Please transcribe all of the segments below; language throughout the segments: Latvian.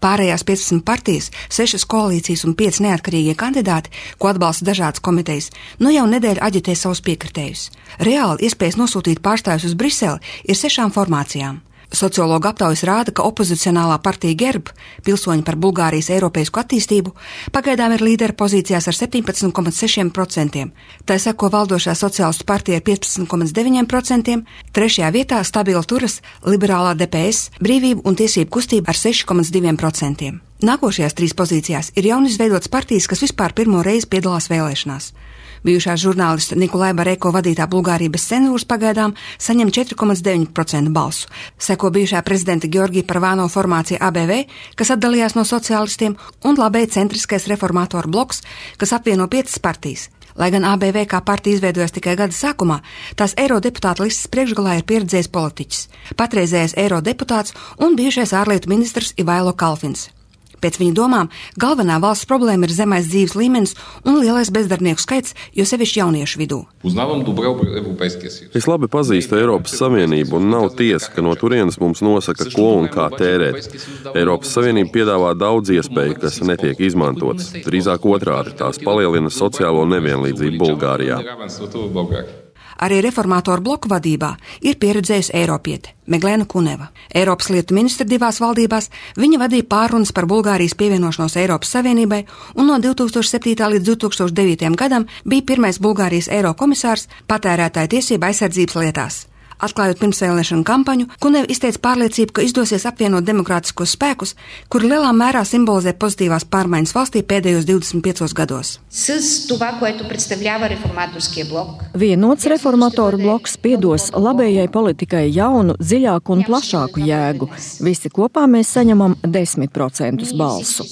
Pārējās 15 partijas, 6 koalīcijas un 5 neatkarīgie kandidāti, ko atbalsta dažādas komitejas, jau nedēļu aģitē savus piekritējus. Reāli iespējas nosūtīt pārstāvjus uz Briseli ir 6 formācijām. Sociologu aptaujas rāda, ka opozicionālā partija GERB, Pilsoņi par Bulgārijas eiropeisku attīstību, pagaidām ir līdera pozīcijās ar 17,6%. Tā seko valdošā sociālistu partija ar 15,9%, trešajā vietā stabili turas liberālā DPS, brīvību un tiesību kustība ar 6,2%. Nākošajās 3 pozīcijās ir jaunizveidotas partijas, kas vispār pirmo reizi piedalās vēlēšanās. Bijušā žurnālista Nikolai Bareko vadītā Bulgārija bez cenzūras pagaidām saņem 4,9% balsu. Seko bijušā prezidenta Georgija Parvāno formācija ABV, kas atdalījās no sociālistiem, un labēji centriskais reformātoru bloks, kas apvieno 5 partijas. Lai gan ABV kā partija izveidojas tikai gada sākumā, tās eirodeputāta listas priekšgalā ir pieredzējis politiķis, patreizējais eirodeputāts un bijušais ārlietu ministrs Ivailo Kalfins. Pēc viņa domām, galvenā valsts problēma ir zemais dzīves līmenis un lielais bezdarbnieku skaits, jo sevišķi jauniešu vidū. Es labi pazīstu Eiropas Savienību un nav tiesa, ka no turienes mums nosaka, ko un kā tērēt. Eiropas Savienība piedāvā daudz iespēju, kas netiek izmantotas. Drīzāk otrādi, tās palielina sociālo nevienlīdzību Bulgārijā. Arī reformātoru bloku vadībā ir pieredzējusi eiropiete Meglena Kuneva. Eiropas lietu ministra 2 valdībās, viņa vadīja pārunas par Bulgārijas pievienošanos Eiropas Savienībai un no 2007. līdz 2009. gadam bija pirmais Bulgārijas eirokomisārs patērētāju tiesību aizsardzības lietās. Atklājot pirmsvēlēšanu kampaņu, Kuneva izteica pārliecību, ka izdosies apvienot demokrātiskos spēkus, kuri lielā mērā simbolizē pozitīvās pārmaiņas valstī pēdējos 25 gados. Vienots reformatoru bloks piedos labējai politikai jaunu, dziļāku un plašāku jēgu. Visi kopā mēs saņemam 10% balsu.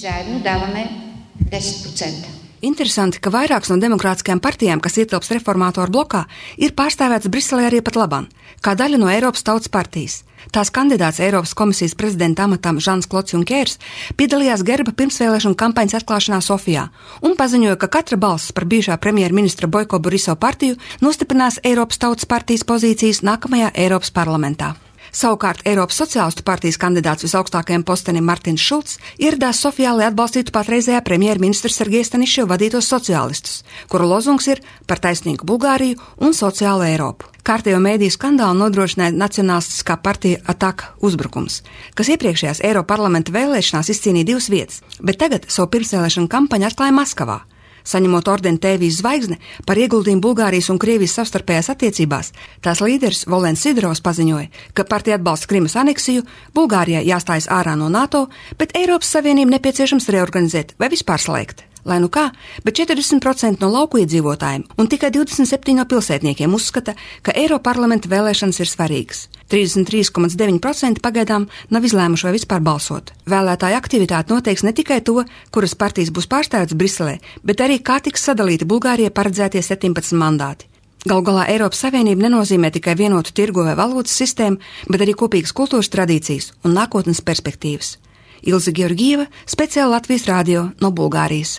Interesanti, ka vairākas no demokrātiskajām partijām, kas ietilps reformātoru blokā, ir pārstāvēts Briselē arī pat labam, kā daļa no Eiropas Tautas partijas. Tās kandidāts Eiropas komisijas prezidenta amatam Žans Klods Junkers piedalījās Gerba pirmsvēlēšanu kampaņas atklāšanā Sofijā un paziņoja, ka katra balss par bijušā premjerministra Boiko Boriso partiju nostiprinās Eiropas Tautas partijas pozīcijas nākamajā Eiropas parlamentā. Savukārt Eiropas sociālistu partijas kandidāts visaugstākajam postenim Martins Šulcs ieradās Sofijā, lai atbalstītu patreizējā premjerministra Sergeja Staniševa vadītos sociālistus, kuru lozungs ir par taisnīgu Bulgāriju un sociālu Eiropu. Kārtējo mēdīju skandālu nodrošināja nacionālistiskā partija ATAK uzbrukums, kas iepriekšējās Eiroparlamenta vēlēšanās izcīnīja 2 vietas, bet tagad savu pirmsvēlēšanu kampaņu atklāja Maskavā. Saņemot ordeni Tēvijas zvaigzne par ieguldījumu Bulgārijas un Krievijas savstarpējās attiecībās, tās līderis Volens Sidorovs paziņoja, ka partija atbalsta Krimas aneksiju, Bulgārijai jāstājas ārā no NATO, bet Eiropas Savienību nepieciešams reorganizēt vai vispār slēgt. Lai nu kā, bet 40% no lauku iedzīvotājiem un tikai 27% no pilsētniekiem uzskata, ka Eiroparlamenta vēlēšanas ir svarīgas. 33,9% pagaidām nav izlēmuši vai vispār balsot. Vēlētāju aktivitāte noteiks ne tikai to, kuras partijas būs pārstāvētas Briselē, bet arī kā tiks sadalīti Bulgārijai paredzētie 17 mandāti. Galu galā Eiropas Savienība nenozīmē tikai vienotu tirgu vai valūtas sistēmu, bet arī kopīgas kultūras tradīcijas un nākotnes perspektīvas. Ilze Georgieva, speciāli Latvijas radio no Bulgārijas.